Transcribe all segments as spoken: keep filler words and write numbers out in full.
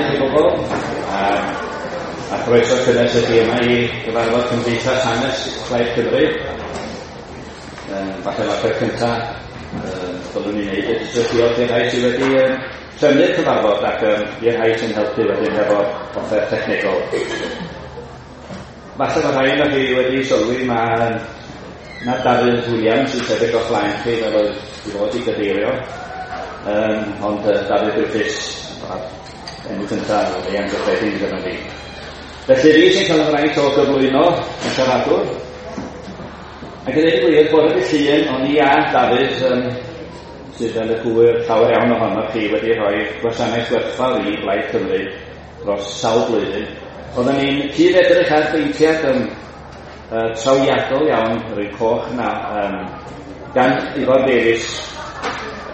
i chi bobl, a, a croeso cynnes i chi yma i gyfarfod Cymdeithas Hanes Plaid Cymru. Um, falle mae'r peth cyntaf um, byddwn ni'n neud ydy jyst diolch i'r rhai sydd wedi um, trefnu'r cyfarfod ac um, i'r rhai sy'n helpu wedyn hefo offer technegol. Falle mae rhai ohonoch chi wedi sylwi mae na Dafydd Williams sy'n sefyll o'ch flaen chi fel oedd i fod i gadeirio. Um, ond uh, Dafydd Griffiths, enw cyntaf, oedd ei anghyffredin gyda fi. Felly fi sy'n cael y fraint o gyflwyno y siaradwr. Ac i ddweud y gwir, bore dydd Llun, o'n i a Dafydd, um, sydd fel y gŵyr llawer iawn ohonoch chi wedi rhoi gwasanaeth gwerthfawr i Blaid Cymru dros sawl blwyddyn. Oedden ni'n cyd-edrych ar beintiad um, uh, trawiadol iawn, yr un coch na, um, gan Ifor Davies,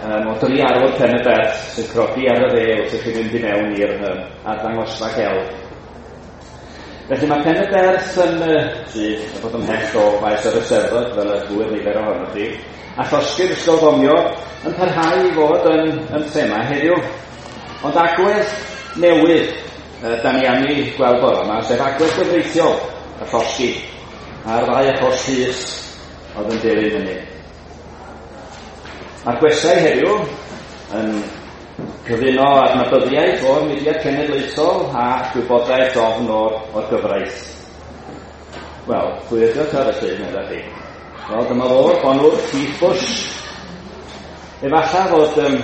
um, o dri arwr Pen y Berth sy'n crogi ar y dde wrth i chi fynd i mewn i'r um, arddangosfa gelf. Felly mae Pen y Berth yn uh, sydd yn bod ymhell o faes yr Eisteddfod fel y gŵyr nifer ohonoch chi, a llosgi'r ysgol fomio yn parhau i fod yn, yn thema heddiw. Ond agwedd newydd uh, da ni am ei gweld bore yma, sef agwedd gyfreithiol y llosgi a'r ddau achos llys oedd yn dilyn hynny. Mae'r gwestai heddiw yn cyfuno adnabyddiaeth o'r mudiad cenedlaethol a gwybodaeth ofn o'r, o'r gyfraith. Wel, pwy ydy o ta felly, meddai chi? Wel, dyma fo'r bonwr Keith Bush. Efallai fod um,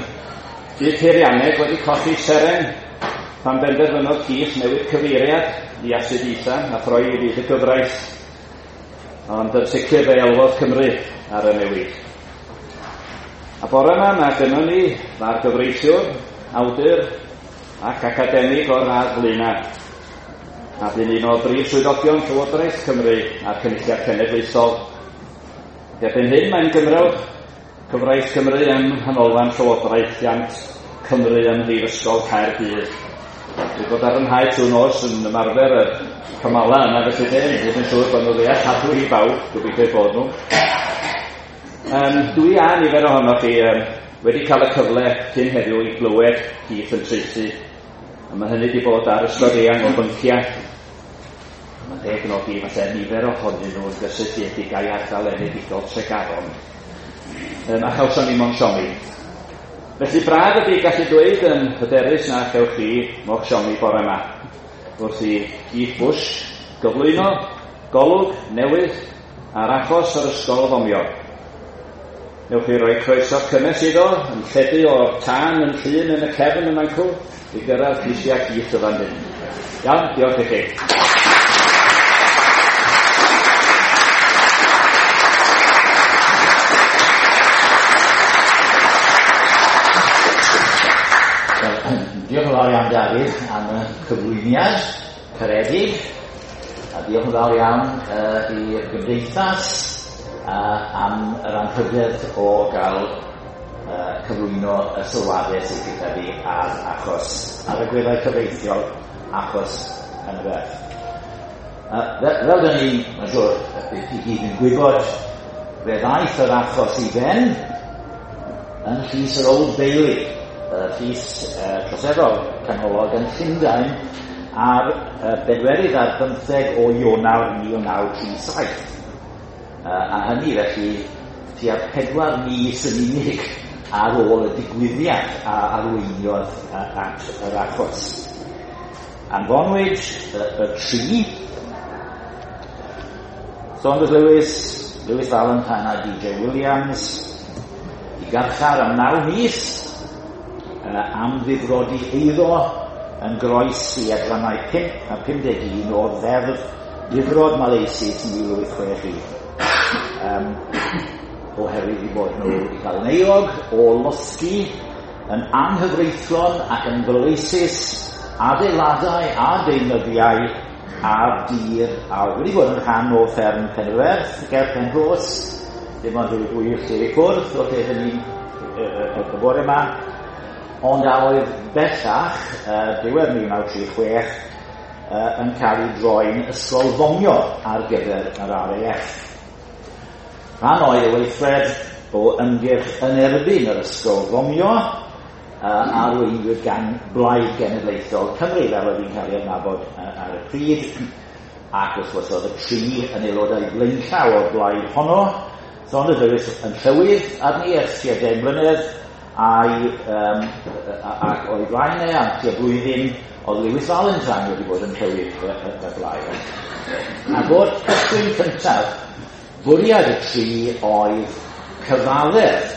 byd peirianneg wedi colli seren pan benderfynodd Keith newid cyfeiriad i astudiaethau a throi i fyd y gyfraith. Ond yn sicr fe elwodd Cymru ar y newid. A bore yma mae gynnon ni dda'r gyfreithiwr, awdur ac academig o'r radd flaenaf. A bu'n un o brif swyddogion Llywodraeth Cymru a'r Cynulliad Cenedlaethol. Erbyn hyn mae'n gymrawd Cyfraith Cymru ym Nghanolfan Llywodraethiant Cymru ym Mhrifysgol Caerdydd. Dwi'n bod ar fy nhaith trwy nos yn ymarfer y cymala yna felly de, dwi'n yn siŵr bod nhw ddealladwy i bawb, gobeithio eu bod nhw. Um, dwi a nifer ohonoch chi um, wedi cael y cyfle cyn heddiw i glywed Keith yn traethu, a mae hynny wedi bod ar ystod eang o bynciau. Mae'n deg nodi falle nifer ohonyn nhw yn gysylltiedig â'i ardal enedigol Tregaron. Um, a chawson ni mo'n siomi. Felly braf ydy gallu dweud yn hyderus na chewch chi mo'ch siomi bore yma. Wrth i Keith Bush gyflwyno golwg newydd ar achos yr ysgol fomio. Newch chi roi croeso cynnes iddo, yn lledu o'r tân yn llun yn y cefn yn ancw, i gyrraedd grisiau Keith y fan hyn. Iawn, diolch i chi. Diolch yn fawr iawn, Dafydd, am y cyflwyniad caredig, a diolch yn fawr iawn uh, i'r gymdeithas uh, am yr anrhydedd o gael uh, cyflwyno y sylwadau sydd gyda fi ar achos, ar y agweddau cyfreithiol achos Pen y Berth. Uh, fel, fel dyn ni, mae'n siŵr, i gyd yn gwybod, fe ddaeth yr achos i ben yn llys yr Old Bailey, y llys uh, troseddol canolog yn Llundain ar uh, bedwerydd ar bymtheg o Ionawr mil naw tri saith. Uh, a hynny felly tua pedwar mis yn unig ar ôl y digwyddiad a arweiniodd uh, at yr achos. Anfonwyd y, y tri, Saunders Lewis, Lewis Valentine a D J Williams, i garchar am naw mis uh, am ddifrodi eiddo yn groes i adrannau pump a pum deg un o Ddeddf Difrod Maleisus mil wyth chwech un. Um, oherwydd i bod nhw wedi cael yn euog o losgi yn anghyfreithlon ac yn faleisus adeiladau a deunyddiau ar dir a wedi bod yn rhan o fferm Pen y Berth ger Penrhos, dim ond rhyw ddwy filltir i ffwrdd o lle hynny y bore yma, ond a oedd bellach, uh, diwedd mil naw tri chwech, uh, yn cael ei droi'n ysgol fomio ar gyfer yr R A F. Rhan oedd y weithred o ymgyrch yn erbyn yr ysgol fomio, uh, arweinwyd gan Blaid Genedlaethol Cymru, fel oedd hi'n cael ei adnabod uh, ar y pryd, ac wrth gwrs oedd y tri yn aelodau blaenllaw o'r blaid honno. Saunders Lewis yn llywydd arni ers tua deng mlynedd, a'i, um, ac o'i blaen e am tua blwyddyn oedd Lewis Valentine wedi bod yn llywydd y, y, y blaid. Ac o'r cychwyn cyntaf, bwriad y tri oedd cyfaddef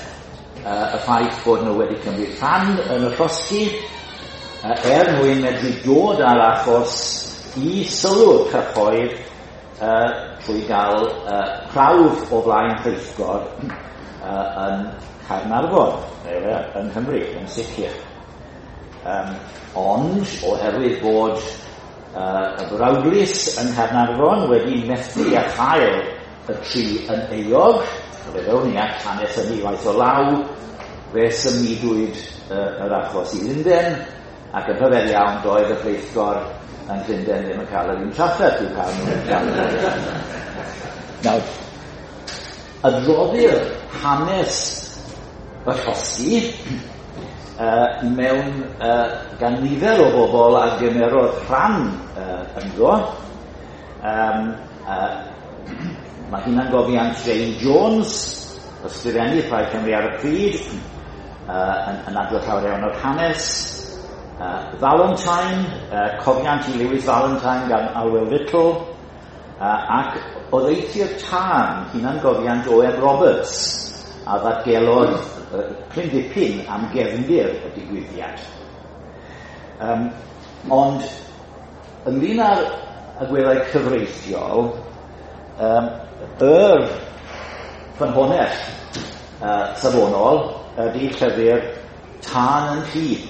uh, y ffaith bod nhw wedi cymryd rhan yn y llosgi, uh, er mwyn medru dod â'r achos i sylw'r cyhoedd uh, trwy gael uh, prawf o flaen rheithgor uh, yn Caernarfon, neu yng Nghymru, yn sicr. Um, ond, oherwydd bod uh, y brawdlys yng Nghaernarfon wedi methu a chael y tri yn euog, fe ddown ni at hanes hynny waith o law, fe symudwyd uh, yr achos i Lundain, ac yn rhyfedd iawn doedd y rheithgor yn Llundain ddim yn cael yr un trafferth i'w cael nhw'n cael. Nawr, adroddir hanes y llosgi uh, mewn uh, gan nifer o bobl a gymerodd rhan uh, ynddo. Um, uh, mae hunangofiant Jane Jones, ysgrifennydd Plaid Cymru ar y pryd, uh, yn, yn adrodd llawer iawn o'r hanes. Uh, Valentine, uh, cofiant i Lewis Valentine gan Alwel Little, uh, ac oddeutu'r tân, hunangofiant O M Roberts, a ddatgelodd uh, cryn dipyn am gefndir y digwyddiad. Um, ond, ynglyn â'r agweddau cyfreithiol, um, yr ffynhonnell uh, safonol ydy llyfr Tân yn Llun,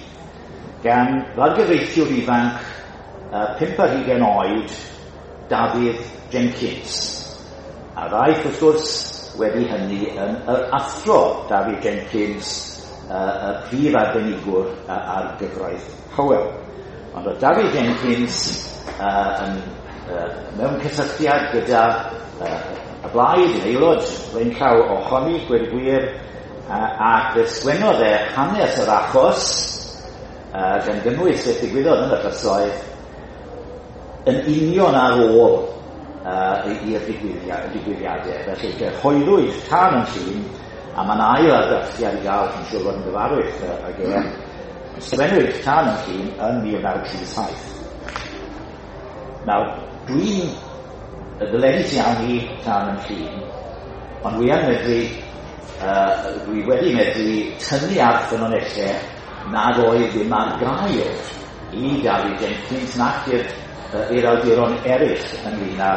gan fargyfreithiwr ifanc uh, pump ar hugain oed, Dafydd Jenkins. A ddaeth, wrth gwrs, wedi hynny yn yr athro Dafydd Jenkins, uh, y prif arbenigwr uh, ar gyfraith Hywel. Ond oedd Dafydd Jenkins uh, yn, uh, mewn cysylltiad gyda uh, y blaid, yn aelod blaenllaw ohoni, gweud y gwir, uh, ac fe sgwennodd e hanes yr achos, uh, gan gynnwys beth ddigwyddodd yn y llysoedd, yn union ar ôl uh, i'r digwyddiadau. Felly cyhoeddwyd Tân yn Llun, a mae'n ail argraffiad i gael, chi'n siŵr fod yn gyfarwydd ag e. Sgwennwyd Tân yn Llun yn mil naw tri saith. Nawr, dwi'n ddyledus iawn i Tân yn Llun, ond dwi yn medru, uh, dwi wedi medru tynnu ar ffynonellau nad oedd ddim ar gael i Dafydd Jenkins nac i'r i'r awduron eraill ynglyn â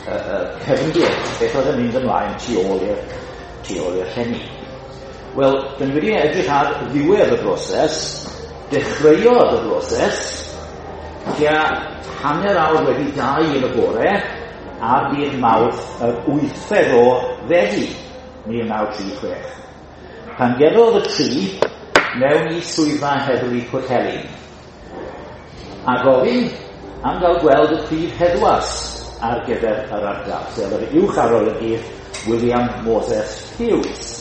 uh, uh, cefndir, beth oedd yn mynd ymlaen tu ôl i'r tu ôl i'r llenni. Wel, dyn ni wedi edrych ar ddiwedd y broses, dechreuodd y broses, tua hanner awr wedi dau yn y bore, ar ddydd Mawrth yr wythfed o Fedi mil naw tri chwech. Pan gerddodd y tri mewn i swyddfa heddlu Pwllheli, a gofyn am gael gweld y prif heddwas ar gyfer yr ardal, sef yr uwch arolygydd William Moses Hughes.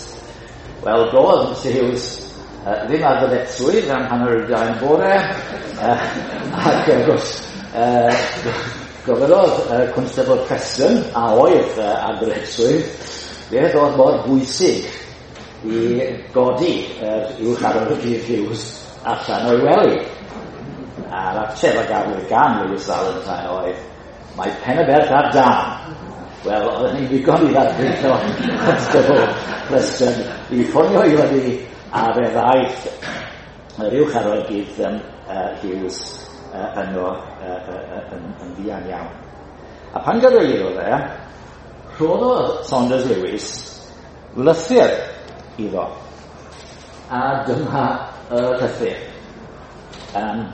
Wel, doedd Mister Hughes uh, ddim ar ddyletswydd am hanner y dau yn bore, uh, ac wrth gwrs uh, gofynnodd uh, Constable Preston, a oedd uh, ar ddyletswydd, beth oedd mor bwysig i godi yr uh, uwch arolygydd Hughes allan o'i wely. A'r ateb a gafwyd gan Lewis Valentine oedd, mae Pen-y-berth ar dân. Wel, oedd hynny'n ddigon i ddarlunio Constable Preston i ffonio i fyny, a fe ddaeth yr uwch arolygydd um, uh, Hughes uh, yno uh, uh, yn, yn fuan iawn. A pan gyrhaeddodd e, rhoddodd Saunders Lewis lythyr iddo. A dyma y llythyr. Um,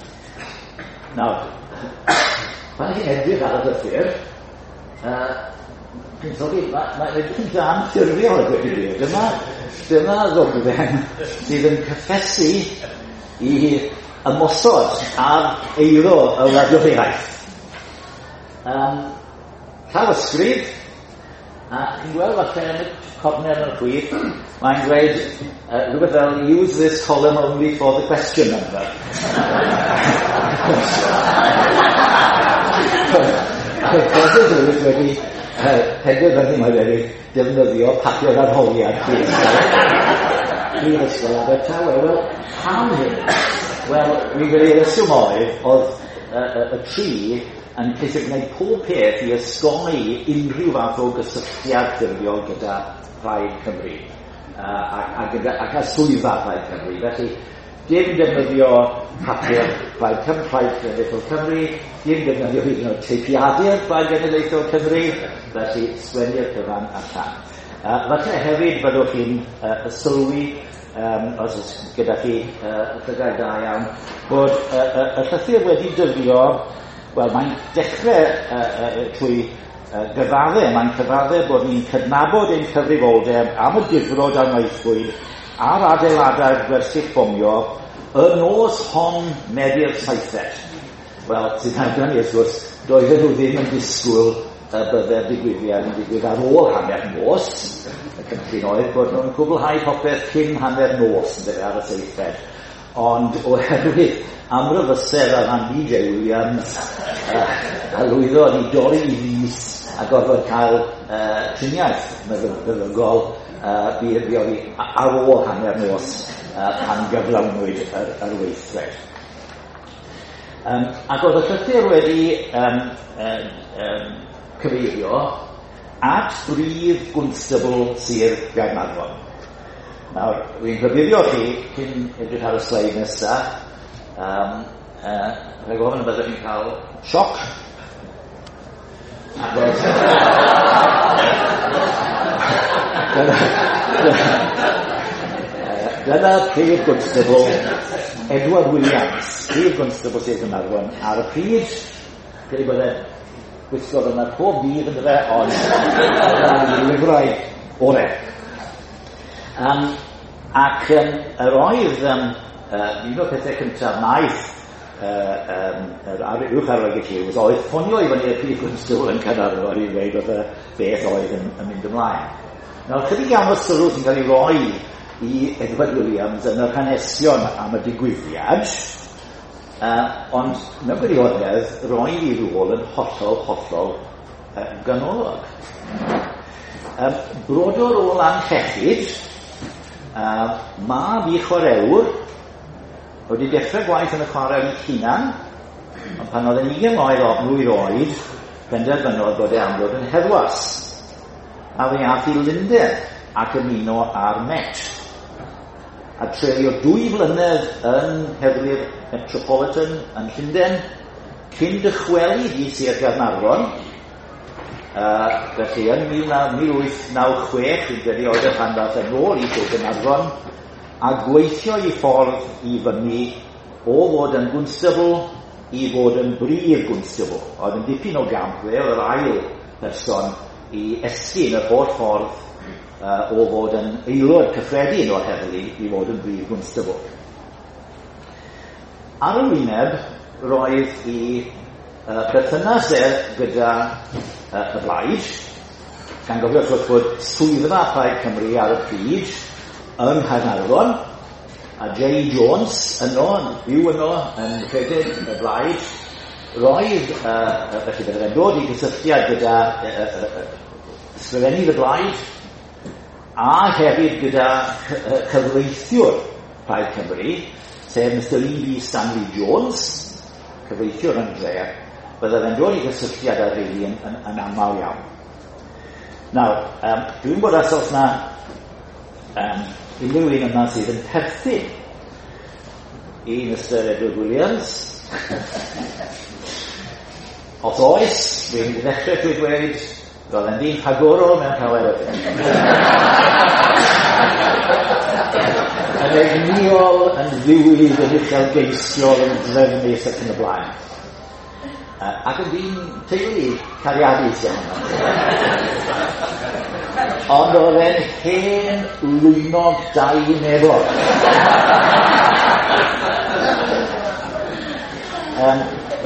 Nawr, pan chi'n edrych ar y llythyr, uh, chi'n sylwi, mae'n ma edrych yn dra anffurfiol, a dweud y gwir. Dyma, dyma ddogfen sydd yn cyffesu i ymosod ar eiddo y wladwriaeth. Um, llawysgrif, A chi'n gweld falle yn y corner yn y chwith, mae'n dweud uh, rhywbeth fel, "Use this column only for the question number." Oedd Professor Lewis wedi uh, penderfynu mai wedi defnyddio papur arholiad Prifysgol Abertawe. Wel, pam hyn? Wel, fi'n credu reswm oedd, oedd y, y, y tri yn ceisio gwneud pob peth i osgoi unrhyw fath o gysylltiad ffurfiol gyda Plaid Cymru uh, a, a, gyda, ac â swyddfa Plaid Cymru. Felly, dim defnyddio papur Plaid Cymru, Plaid Genedlaethol Cymru, dim defnyddio hyd yn oed teipiadur Plaid Genedlaethol Cymru, felly sgwennu'r cyfan allan. Uh, falle hefyd byddwch chi'n uh, sylwi, um, os oes gyda chi uh, llygaid da iawn, bod uh, uh, y llythyr wedi dyddio. Wel, mae'n dechrau uh, uh, trwy uh, gyfadde, mae'n cyfadde bod ni'n cydnabod ein cyfrifoldeb am y difrod a wnaethpwyd ar adeiladau'r gwersyll bomio y nos hon Medi'r saithfed. Wel, sy'n awgrymu wrth gwrs, doedden nhw ddim yn disgwyl y bydde'r digwyddiad yn digwydd ar ôl hanner nos. Y cynllun oedd bod nhw'n cwblhau popeth cyn hanner nos yn ar y seithfed. Ond oherwydd amryfysedd ar ran D J Williams, uh, a lwyddodd i dorri i fys a gorfod cael uh, triniaeth meddygol, uh, bu oedd hi ar ôl hanner nos uh, pan gyflawnwyd yr, yr weithred. Um, ac oedd y llythyr wedi um, um, um, cyfeirio at brif gwnstabl Sir Gaernarfon. Nawr, fi'n rhybuddio chi, cyn edrych ar y sleid nesaf, um, uh, rhaid gofyn y byddwch chi'n cael sioc. Achos dyna, dyna prif gwnstabl Edward Williams, prif gwnstabl Sir Gaernarfon ar y pryd. Credu bod e'n gwisgo yna pob dydd yn dyfe, ond yn lyfrau orau. Um, ac um, yr oedd um, uh, un o'r pethau cyntaf wnaeth uh, um, yr uwch arolygydd Hughes oedd ffonio i fyny y prif gwnstabl yn Caernarfon i ddweud wrth y beth oedd yn, yn mynd ymlaen. Nawr, chydig iawn o sylw sy'n cael ei roi i Edward Williams yn yr hanesion am y digwyddiad, uh, ond mewn gwirionedd roedd ei rôl yn hollol, hollol uh, ganolog. Um, brodor o Lanllechid, Uh, mab i chwarelwr, wedi dechrau gwaith yn y chwarel ei hunan, ond pan oedd yn ugain mlwydd oed, penderfynodd bod e am ddod yn heddwas. A fe ath i Lundain ac ymuno â'r Met. A treulio dwy flynedd yn heddlu'r Metropolitan yn Llundain, cyn dychwelyd i Sir Gaernarfon. Uh, felly yn mil wyth naw chwech, fi'n credu oedd y pan ddaeth yn ôl i Sir Gaernarfon, a gweithio i ffordd i fyny o fod yn gwnstabl i fod yn brif gwnstabl. Oedd yn dipyn o gamp, fe oedd yr ail person i esgyn yr holl ffordd uh, o fod yn aelod cyffredin o'r heddlu i fod yn brif gwnstabl. Ar y wyneb, roedd i uh, perthynas e gyda uh, y blaid, gan gofio wrth gwrs bod swyddfa Plaid Cymru ar y pryd yng Nghaernarfon, a J Jones yno, yn byw yno, yn rhedeg y blaid. Roedd, uh, felly bydde fe'n dod i gysylltiad gyda uh, uh, ysgrifennydd y blaid, a hefyd gyda cyfreithiwr Plaid Cymru, sef Mister E B Stanley Jones, cyfreithiwr yn dre. Bydde fe'n dod i gysylltiad â'r rheini yn, yn, yn aml iawn. Nawr, um, dwi'n bod os oes na um, unrhyw un yma sydd yn perthyn i Mister Edward Williams. Os oes, fi'n mynd i ddechrau trwy dweud, roedd e'n ddyn rhagorol mewn llawer o beth. Yn egnïol, yn ddiwyd, yn uchelgeisiol, yn drefnus ac yn y blaen. Uh, ac yn ddyn teulu cariadus iawn. Ond oedd e'n hen lwynog dau nefol. um,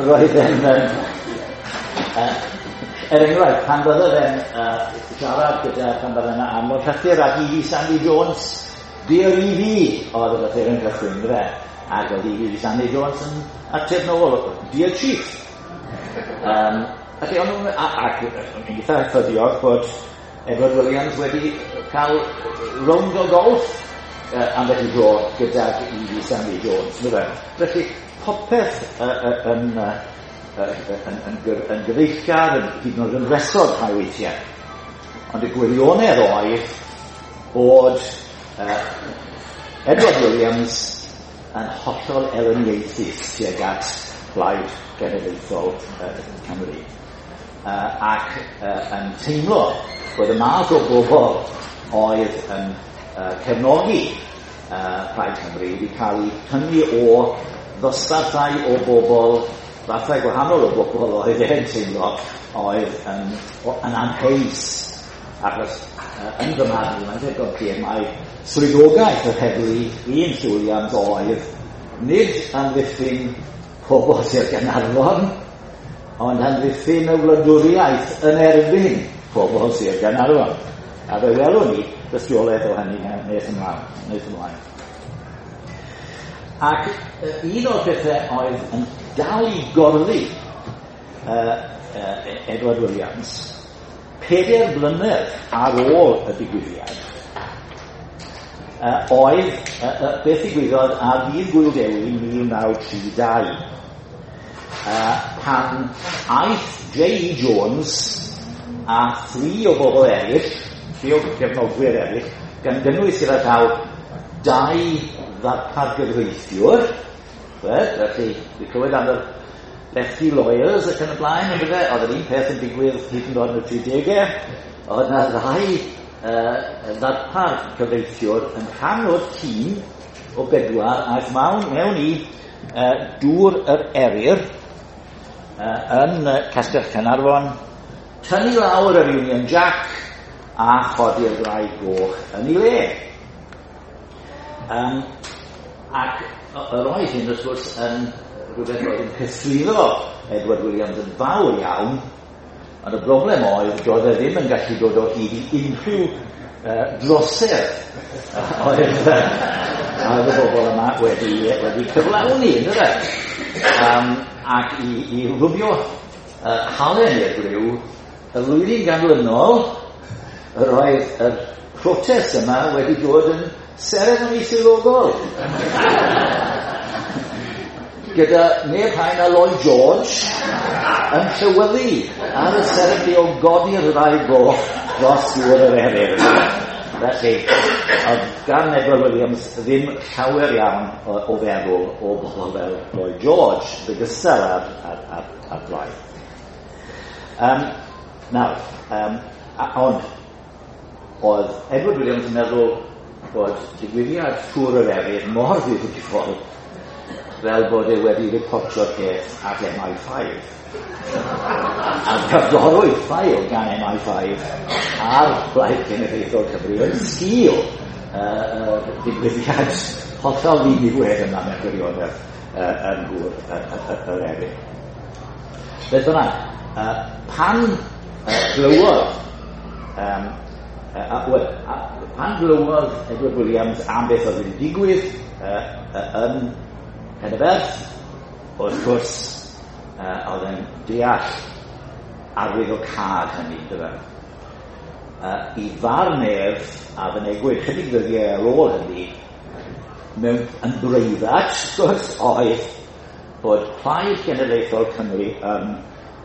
roedd e'n um, uh, Er enghraifft, pan bydde fe'n uh, siarad gyda, pan bydde fe'n anfon llythyr at E V Stanley Jones, "Dear E V", oedd y llythyr yn cychwyn, fe, ac oedd E V Stanley Jones yn ateb nôl, "Dear Chief". Um, felly, o'n nhw'n, ac yn eitha ffyddiog bod Edward Williams wedi cael rownd o golff uh, ambell i dro gydag E V Stanley Jones. Felly, popeth uh, uh, yn, uh, yn, yn, yn gyfeillgar, yn hyd yn oed yn wresog rhai weithiau. Ond y gwirionedd oedd bod uh, Edward Williams yn hollol elyniaethus tuag at Blaid Genedlaethol uh, Cymru. Uh, ac uh, yn teimlo bod y math o bobl oedd yn uh, cefnogi uh, Plaid Cymru wedi cael eu tynnu o ddosbarthau o bobl, fathau gwahanol o bobl oedd e'n teimlo oedd yn, yn amheus. Achos uh, yn fy marn i, mae'n ddigon clir mai swyddogaeth yr heddlu un Williams oedd nid amddiffyn pobl Sir Gaernarfon, ond amddiffyn y wladwriaeth yn erbyn pobl Sir Gaernarfon. A fe welwn ni dystiolaeth o hynny nes ymlaen. Nes ymlaen. Ac un o'r pethau oedd yn dal i gorddi uh, uh, Edward Williams, pedair blynedd ar ôl y digwyddiad, uh, oedd uh, uh, beth ddigwyddodd ar ddydd Gŵyl Dewi mil naw tri dau, uh, pan aeth J E Jones a thri o bobl eraill, tri o gefnogwyr eraill, gan gynnwys gyda llaw dau ddarpar gyfreithiwr, felly, dwi'n clywed am y lefty lawyers ac yn y blaen, yn bydde, oedd yr un peth yn digwydd hyd yn oed yn y tridegau, oedd yna ddau uh, ddarpar cyfreithiwr yn rhan o'r tîm o bedwar aeth mewn, mewn i uh, Dŵr yr Eryr uh, yn uh, Castell Caernarfon, tynnu lawr yr Union Jack a chodi'r ddraig goch yn ei le. Um, ac yr oedd hyn, wrth gwrs, yn rhywbeth oedd yn cythruddo Edward Williams yn fawr iawn, ond y broblem oedd doedd e ddim yn gallu dod o hyd i unrhyw uh, drosedd oedd, oedd y bobl yma wedi, wedi cyflawni, ynddo fe? Um, ac i, i rwbio uh, halen i'r gwryw, y flwyddyn ganlynol, yr oedd yr protest yma wedi dod yn seremoni swyddogol. Gyda neb llai na Lloyd George yn llywyddu ar y seremoni o godi'r ddraig goch dros Dŵr yr Eryr. Felly, oedd gan Edward Williams ddim llawer iawn o, o feddwl o bobl fel Lloyd George, yn ogystal â'r, ar, ar, ar blaid. Um, nawr, um, a, ond, oedd Edward Williams yn meddwl bod digwyddiad Tŵr yr Eryr mor ddifrifol fel bod e wedi reportio'r peth at M I five. A cyflorwyd ffail gan M I five ar Blaid Genedlaethol Cymru yn sgil uh, uh, digwyddiad hollol ddiniwed yma mewn gwirionedd uh, yn Nhŵr yr Eryr. Beth bynnag, uh, pan uh, glywodd um, uh, well, uh, pan glywodd Edward Williams am beth oedd wedi digwydd uh, uh, yn Pen-y-berth, wrth gwrs, uh, oedd yn deall arwyddocâd hynny, dyfe. Uh, I farn ef, a fynegwyd chydig ddyddiau ar ôl hynny, mewn yn breifat, wrth gwrs, oedd bod Plaid Genedlaethol Cymru yn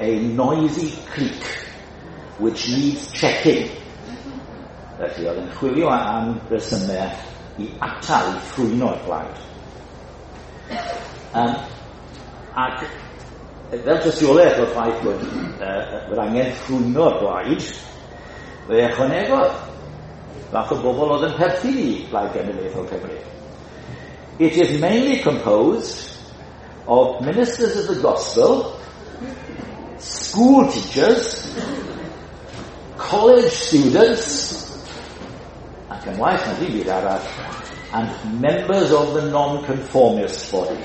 a noisy clique which needs checking. Felly oedd yn chwilio am resymau i atal, i ffrwyno'r blaid. Um, ac fel tystiolaeth o'r ffaith bod uh, bod angen ffrwyno'r blaid, fe ychwanegodd fath o bobl oedd yn perthyn i Blaid Genedlaethol Cymru. It is mainly composed of ministers of the gospel, school teachers, college students, ac yn waeth na dim byd arall, and members of the non-conformist body.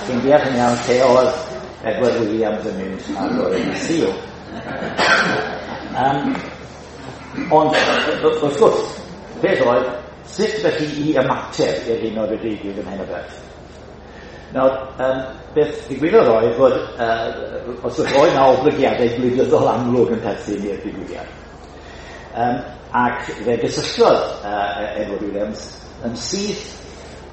Chi'n deall yn iawn lle oedd Edward Williams yn mynd ar bore dydd Sul. Um, ond, wrth gwrs, peth oedd, sut felly i ymateb i'r hyn oedd wedi digwydd ym Mhen-y-beth. Nawr, um, beth ddigwyddodd oedd fod, uh, os oedd na oblygiadau gwleidyddol amlwg yn perthyn i'r digwyddiad. Um, ac fe gysylltodd uh, Edward Williams yn syth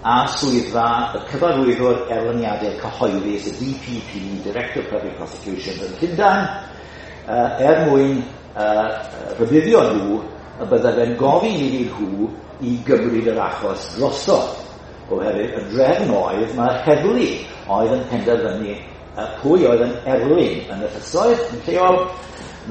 â swyddfa y cyfarwyddwr erlyniadau cyhoeddus, y D P P, Director of Public Prosecutions yn Llundain, uh, er mwyn uh, rhybuddio nhw y bydde fe'n gofyn iddyn nhw i gymryd yr achos drosodd. Oherwydd y drefn oedd, mae'r heddlu oedd yn penderfynu uh, pwy oedd yn erlyn yn y llysoedd yn lleol,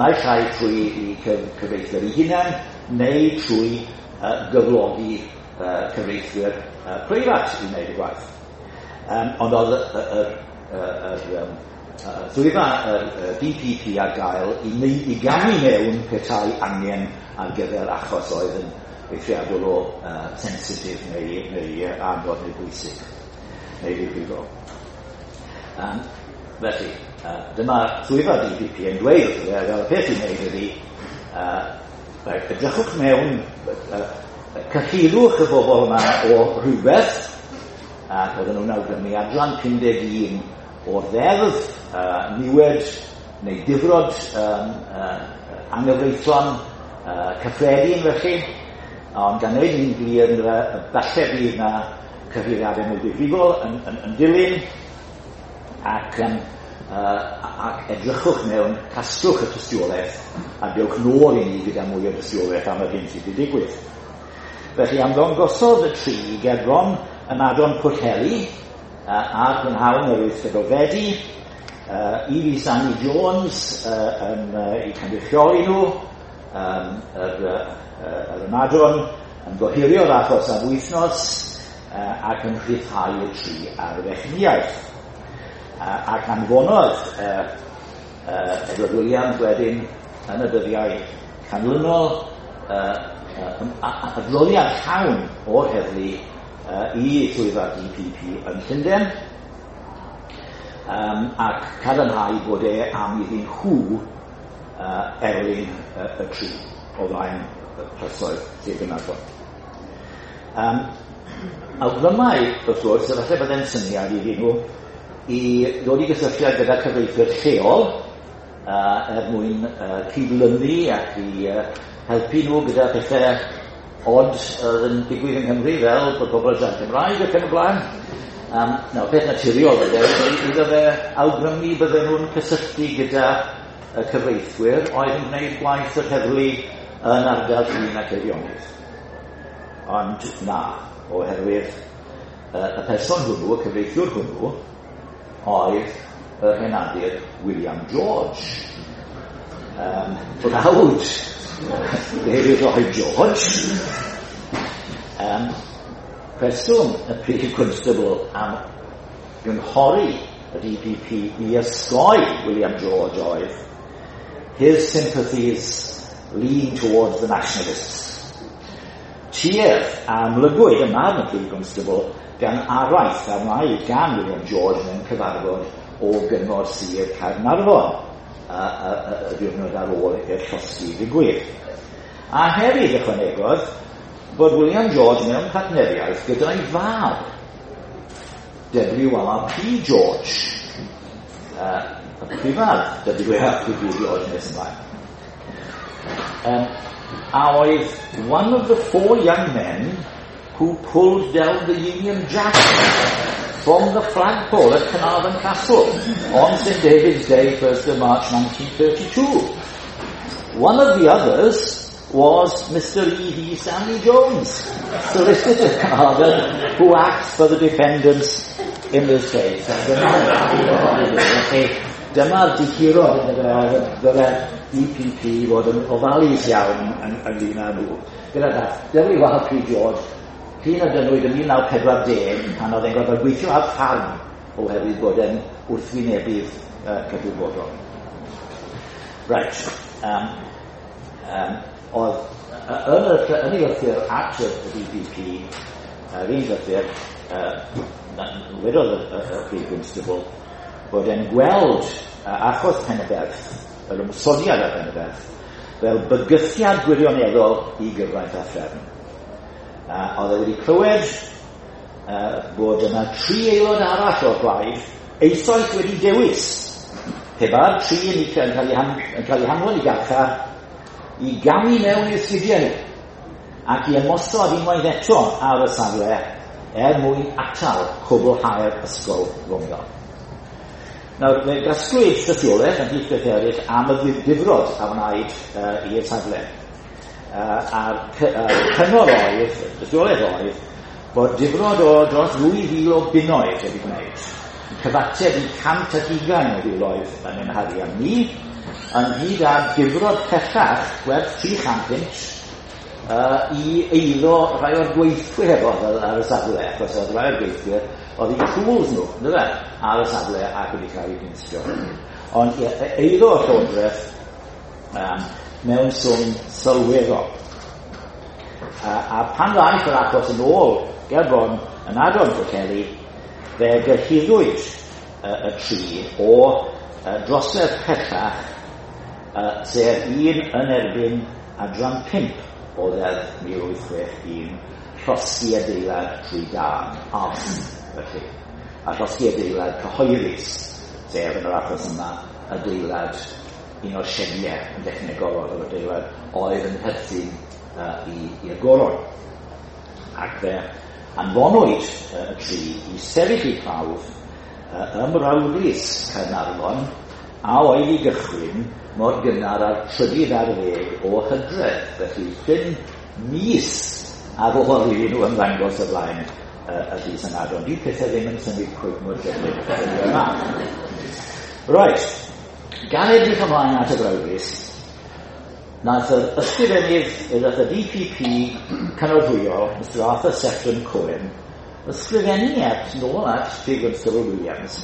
naill ai trwy i cyfreithwyr eu hunain, neu trwy uh, gyflogi uh, cyfreithwyr uh, preifat i wneud y gwaith. Um, ond oedd y, y, y, y, y swyddfa y, y D P P ar gael i, i gamu mewn petai angen ar gyfer achos oedd yn eithriadol o uh, sensitif neu, neu anodd neu bwysig neu ddifrifol. Um, felly, uh, dyma swyddfa D P P yn dweud, fel y peth i wneud ydy, uh, edrychwch mewn, uh, cyhyrwch y bobl yma o rhywbeth, ac oedden nhw'n awgrymu adran pum deg un o'r ddeddf, uh, niwed neu difrod um, uh, anghyfreithlon uh, cyffredin felly, ond gan wneud yn glir ynddo fe, falle bydd na cyhuddiadau mwy difrifol yn, yn, yn dilyn, ac, um, uh, ac edrychwch mewn, casglwch y tystiolaeth, a dewch nôl i ni gyda mwy o dystiolaeth am yr hyn sydd wedi digwydd. Felly ymddangosodd y tri gerbron ynadon Pwllheli uh, ar brynhawn yr wythfed o Fedi, uh, E V Stanley Jones uh, yn uh, eu cynrychioli nhw, um, yr, uh, yr ynadon yn gohirio'r achos am wythnos uh, ac yn rhyddhau y tri ar fechnïaeth. Uh, ac anfonodd uh, uh, Edward Williams wedyn yn y dyddiau canlynol uh, uh, adroddiad llawn o'r heddlu uh, i swyddfa D P P yn Llundain, um, ac cadarnhau bod e am iddyn nhw uh, erlyn uh, y tri o flaen y llysoedd Sir Gaernarfon. Um, awgrymau, wrth gwrs, efallai byddai'n syniad iddyn nhw i ddod i gysylltiad gyda cyfreithwyr lleol uh, er mwyn uh, cydlynu ac i uh, helpu nhw gyda pethau od oedd yn digwydd yng Nghymru, fel bod pobl yn siarad Cymraeg ac yn y blaen. Um, nawr, peth naturiol fydde, iddo fe awgrymu bydden nhw'n cysylltu gyda y cyfreithwyr oedd yn gwneud gwaith yr heddlu yn ardal Llŷn ac Eifionydd. Ond na, oherwydd uh, y person hwnnw, y cyfreithiwr hwnnw, oedd yr henadur William George. Um, brawd David Lloyd George. Um, rheswm y prif constable am gynghori y D P P i osgoi William George oedd his sympathies lean towards the nationalists. Tuedd a amlygwyd ym marn y prif constable gan araith a wnaed gan William George mewn cyfarfod o gyngor Sir Caernarfon y diwrnod ar ôl i'r llosgi ddigwydd. A hefyd ychwanegodd bod William George mewn partneriaeth gyda'i fab, W R P George, uh, y prifardd W R P George nes ymlaen. Um, a oedd one of the four young men who pulled down the Union Jack from the flagpole at Carnarvon Castle on Saint David's Day, first of March nineteen thirty-two. One of the others was Mister E V Stanley Jones, solicitor Carnarvon, who acts for the defendants in this case. Dyma'r dihirod dyle D P P fod yn ofalus iawn ynglyn â nhw. Gyda W R P George, llun a dynwyd yn mil naw pedwar deg pan oedd e'n gorfod gweithio ar ffarm oherwydd bod e'n wrthwynebydd uh, cydwybodol. Right. Um, um, oedd yn y, yn ei lythyr at y D P P, yr un lythyr, uh, wedodd y, y, y prif constable, bod e'n gweld uh, achos Penyberth, yr ymosodiad ar Penyberth, fel bygythiad gwirioneddol i gyfraith a threfn. Uh, oedd e wedi clywed uh, bod yna tri aelod arall o'r blaid eisoes wedi dewis pe bai'r tri yn cael eu han, cael eu hanfon i garchar i gamu mewn i'r sgidiau nhw ac i ymosod unwaith eto ar y safle er mwyn atal cwblhau'r ysgol fomio. Nawr, fe gasglwyd tystiolaeth ymhlith beth eraill am y difrod a wnaed uh, i'r safle. Uh, a'r uh, cyngor oedd, tystiolaeth oedd, bod difrod o dros ddwy fil o bunnoedd wedi gwneud. Cyfateb i cant ac ugain o filoedd yn ein harian ni, ynghyd â difrod pellach gwerth tri chant punt uh, i eiddo rhai o'r gweithwyr oedd ar y safle, achos oedd rhai o'r gweithwyr oedd eu tools nhw, yndyfe, ar y safle ac wedi cael eu dinistrio. Ond eiddo y Llywodraeth um, mewn swm sylweddol. Uh, a pan ddaeth yr achos yn ôl gerbron ynadon Pwllheli, fe gyhuddwyd uh, y tri o uh, drosedd pellach, uh, sef un yn erbyn adran pump o ddeddf mil wyth chwech un, llosgi adeilad trwy dân, arson, felly. A llosgi adeilad cyhoeddus, sef yn yr achos yma, adeilad un o'r siediau yn dechnegol oedd yr adeilad oedd yn perthyn uh, i'r goron. Ac fe anfonwyd uh, y tri i sefyll eu prawf uh, ym Mrawdlys Caernarfon, a oedd i gychwyn mor gynnar ar trydydd ar ddeg o Hydref, felly pum mis ar ôl iddyn nhw ymddangos o flaen uh, y llys ynadon. Dyw pethau ddim yn symud cweit mor gyflym yma. Right, gan edrych ymlaen at y brawdlys, nath yr ysgrifennydd, nath y D P P cynorthwyol, Mister Arthur Sefton Cohen, ysgrifennu at nôl at Prif Gwnstabl Williams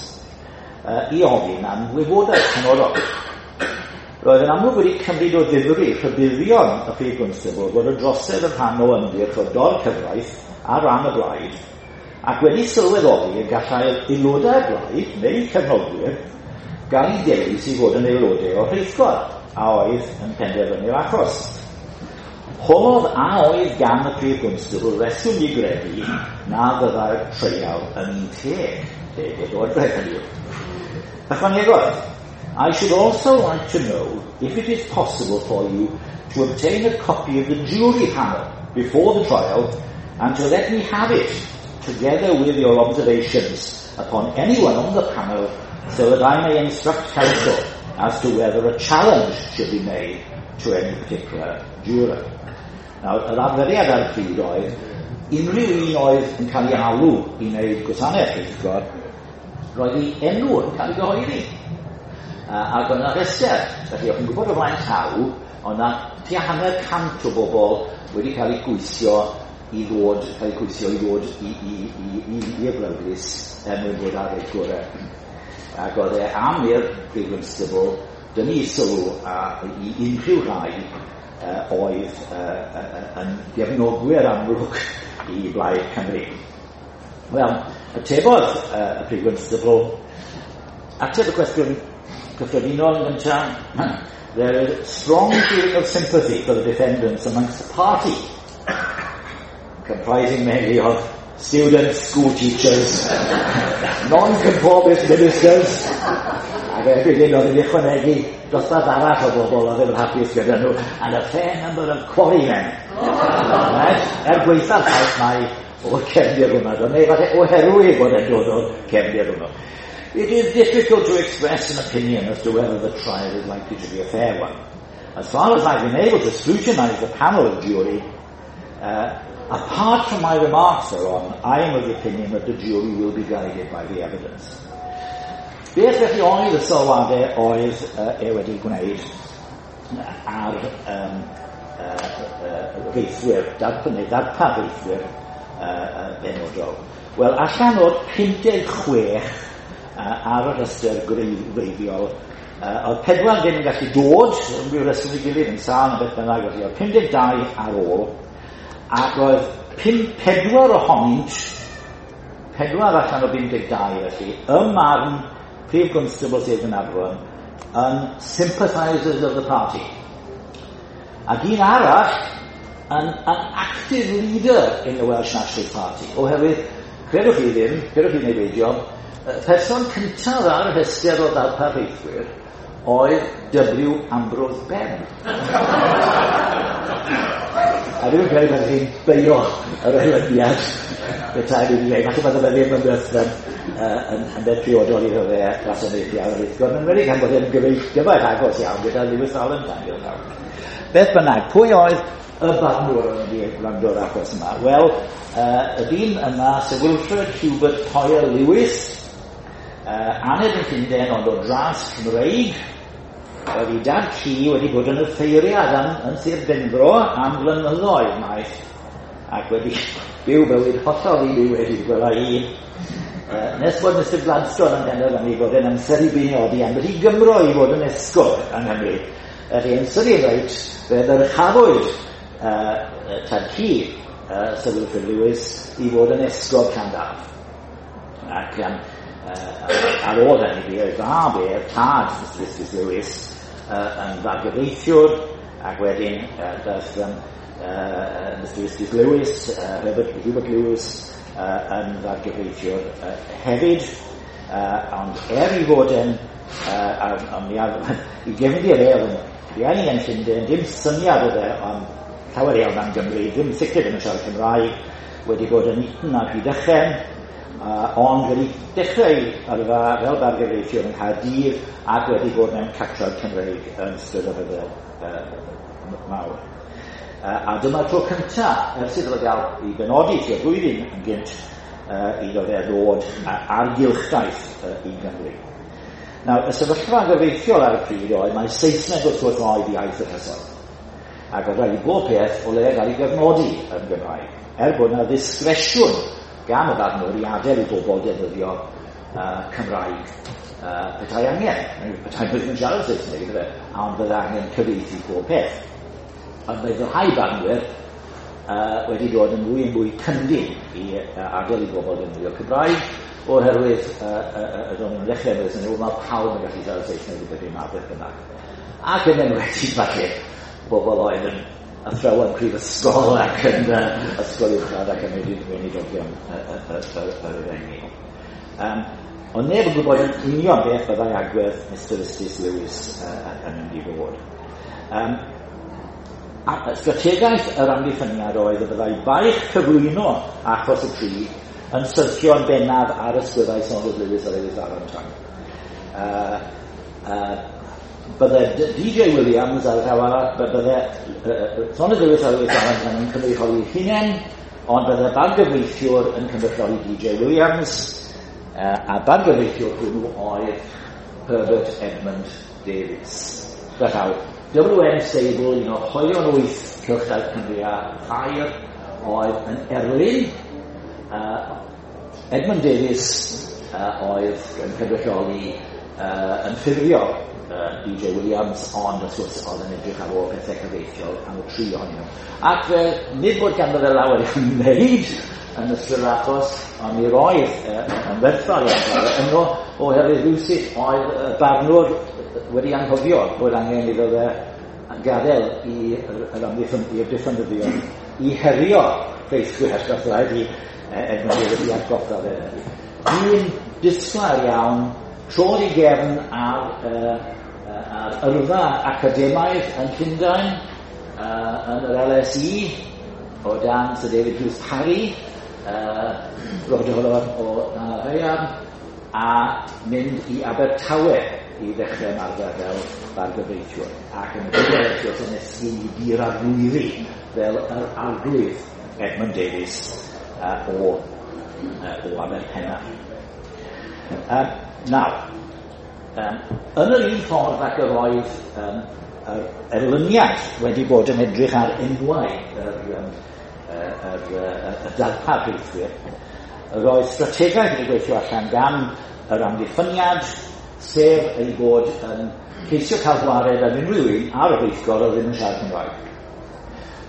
uh, i ofyn am wybodaeth penodol. Roedd yn amlwg wedi cymryd o ddifri rhybuddion y Prif Gwnstabl bod y drosedd yn rhan o ymgyrch o dor-cyfraith ar ran y blaid, ac wedi sylweddoli y gallai'r aelodau'r blaid, neu cefnogwyr, gael eu dewis i fod yn aelodau o'r rheithgor, a oedd yn penderfynu'r achos. Holodd a oedd gan y Prif Gwnstabl reswm i gredu na fyddai'r treial yn un teg, teg o ddodrefn hynny yw. Ychwanegodd, I should also like to know if it is possible for you to obtain a copy of the jury panel before the trial and to let me have it, together with your observations upon anyone on the panel, so that I may instruct counsel as to whether a challenge should be made to any particular juror. Nawr, yr arferiad ar y pryd oedd, unrhyw un oedd yn cael ei alw i wneud gwasanaeth rheithgor, roedd ei enw yn cael ei gyhoeddi. Uh, ac oedd yna rhestr, felly o'ch chi'n gwybod o flaen llaw, oedd yna tua hanner cant o bobl wedi cael eu gweithio i ddod, cael eu gweithio i ddod i, i, i, i, i'r brawdlys er mwyn bod ar ei gorau. Ac oedd e am i'r Prif Gwnstabl dynnu sylw a, i unrhyw rai uh, oedd uh, uh, yn gefnogwyr amlwg i Blaid Cymru. Wel, atebodd uh, y Prif Gwnstabl, ateb y cwestiwn cyffredinol yn gyntaf, there is strong feeling of sympathy for the defendants amongst the party, comprising mainly of students, school teachers, non-conformist ministers, ac erbyn hyn oedd yn ychwanegu dosbarth arall o bobl oedd ddim yn hapus gyda nhw, and a fair number of quarrymen. Right? Er gwaetha'r ffaith mai o'r cefndir hwnna, neu falle oherwydd bod e'n dod o'r cefndir hwnnw. It is difficult to express an opinion as to whether the trial is likely to be a fair one. As far as I've been able to scrutinise the panel of jury, uh, apart from my remarks thereon, I am of the opinion that the jury will be guided by the evidence. Beth felly oedd y sylwadau oedd uh, e wedi gwneud ar um, uh, uh, reithwyr, darp, neu darpar reithwyr uh, uh, benodol? Wel, allan o'r pum deg chwech uh, ar y rhestr gwreiddiol, uh, oedd pedwar ddim yn gallu dod, yn ryw reswm i gilydd, yn sâl neu beth bynnag, felly oedd pum deg dau ar ôl, ac oedd pum pedwar ohonynt, pedwar allan o bum deg dau felly, ym marn Prif Gwnstabl Sir Gaernarfon, yn sympathisers of the party. Ac un arall yn an active leader in the Welsh Nationalist Party, oherwydd, credwch chi ddim, credwch chi neu beidio, y person cyntaf ar y rhestr o ddarpar reithwyr oedd W. Ambrose Bebb. A dwi'n credu bod chi'n beio yr erlyniad petai wedi dweud. Falle bod e ddim yn beth yn, yn, yn beth priodol iddo fe wasanaethu ar y rheithgor. Yn enwedig gan bod e'n gyfaill agos iawn gyda Lewis Valentine. Beth bynnag, pwy oedd y barnwr yn mynd i wrando'r achos yma? Wel, uh, y dyn yma, Sir Wilfred Hubert Poyer Lewis, uh, aned yn Llundain ond o dras Cymreig, oedd ei dad ci wedi bod yn offeiriad yn, yn Sir Benfro am flynyddoedd maith, ac wedi byw bywyd hollol i byw wedi gwela i. Uh, nes bod Mister Gladstone yn penderfynu bod e'n amser i benodi ambell i Gymro i fod yn esgob yng Nghymru. Felly yn sydyn reit, fe ddyrchafwyd uh, tad ci uh, Sir Wilfrid Lewis i fod yn esgob Llandaf. Ac um, uh, ar ôl hynny bu ei fab e, tad Mister Justice Lewis, uh, yn fargyfreithiwr, ac wedyn uh, daeth um, uh, Mister Justice Lewis, uh, Herbert Hubert Lewis, uh, yn fargyfreithiwr uh, hefyd, uh, ond er i fod yn, uh, um, i gefndir e oedd yn rieni yn Llundain, dim syniad oedd e am llawer iawn am Gymru, ddim sicr ddim yn siarad Cymraeg, wedi bod yn Eton a Rhydychen, uh, ond wedi dechrau yrfa fel bargyfreithiwr yng Nghaerdydd ac wedi bod mewn catrawd Cymreig yn ystod y rhyfel uh, mawr. Uh, a dyma'r tro cyntaf ers iddo fe gael ei benodi tua blwyddyn yn gynt uh, iddo fe ddod ar gylchdaith uh, i Gymru. Nawr, y sefyllfa gyfreithiol ar y pryd oedd mae Saesneg wrth gwrs oedd iaith y llysoedd. Ac oedd rhaid i bob peth o leia gael ei gyfnodi yn Gymraeg, er bod yna ddisgresiwn gan y barnwr i adael i bobl defnyddio uh, Cymraeg uh, petai angen. Petai nhw ddim yn siarad Saesneg, yndyfe, ond bydde angen cyfieithu pob peth. Ond mae rhai barnwyr uh, wedi dod yn fwy yn fwy cyndyn i uh, adael i bobl defnyddio Cymraeg, oherwydd uh, uh, uh, ro'n nhw'n ddechrau meddwl, sy'n mae pawb yn gallu siarad Saesneg i beth yma, beth bynnag. Ac yn enwedig falle bobl oedd yn athrawon prifysgol ac yn uh, ysgol uwchradd ac yn weinidogion yr efengyl. Um, ond neb yn gwybod yn union beth byddai agwedd Mister Justice Lewis uh, yn mynd i fod. Um, a strategaeth yr amddiffyniad oedd y byddai baich cyflwyno achos y tri yn syrthio'n bennaf ar ysgwyddau Saunders Lewis a Lewis Valentine. Uh, uh, bydde D J Williams ar y llaw arall, bydde uh, Saunders Lewis a Lewis Valentine yn cynrychioli hunain, ond bydde bargyfreithiwr yn cynrychioli D J Williams, uh, a bargyfreithiwr hwnnw oedd Herbert Edmund Davies. Felly, W N Sable, un o hoelion wyth Cylchdaith Cymru a Thair, oedd yn erlyn. Uh, Edmund Davies uh, oedd yn cynrychioli uh, yn ffurfiol uh, D J Williams, ond wrth gwrs oedd yn edrych ar ôl pethau cyfreithiol am y tri ohonyn nhw. Ac fe, nid bod ganddo fe lawer i'w wneud yn ystod yr achos, ond mi roedd uh, yn werthfawr iawn yno, oherwydd rywsut oedd y barnwr wedi anghofio bod angen iddo fe gadael i'r amddiffyn, i'r diffynyddion i herio rheithwyr, roedd rhaid i Edmund Davies i atgoffa fe. Un disglair iawn, trodd i gefn ar, uh, ar yrfa academaidd yn Llundain, uh, yn yr L S E, o dan Sir David Hughes Parry, uh, brodor o Nanafaearn, a mynd i Abertawe i ddechrau ymarfer fel bargyfreithiwr. Ac yn y diwedd, wrth gwrs, yn esgyn i dir arglwyddi fel yr arglwydd Edmund Davies uh, o, uh, o Aberpennar. Uh, nawr, um, yn yr un ffordd ac yr oedd um, yr erlyniad wedi bod yn edrych ar enwau yr, um, yr, yr, y darpar rheithwyr, yr oedd strategaeth wedi gweithio allan gan yr amddiffyniad, sef ei bod yn ceisio cael gwared ar unrhyw un ar y rheithgor oedd ddim yn siarad Cymraeg.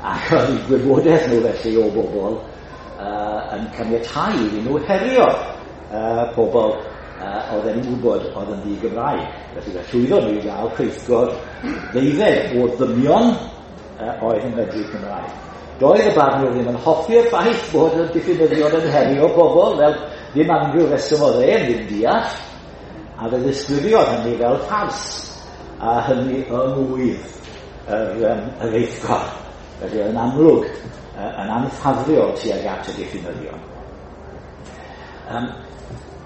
Ac oedd eu gwybodaeth nhw felly o bobl uh, yn caniatáu iddyn nhw herio uh, pobl uh, oedd e'n gwybod oedd yn ddi-Gymraeg. Felly fe llwyddo nhw i gael rheithgor ddeuddeg o ddynion uh, oedd yn medru Cymraeg. Doedd y barnwr ddim yn hoffi'r ffaith bod y diffinyddion yn herio bobl fel ddim unrhyw reswm oedd e'n ddim deall, a fe ddisgrifiodd hynny fel ffars, a hynny yng ngwydd yr, um, yr rheithgor. Felly yn amlwg uh, yn anffafriol tuag at y diffinyddion. Um,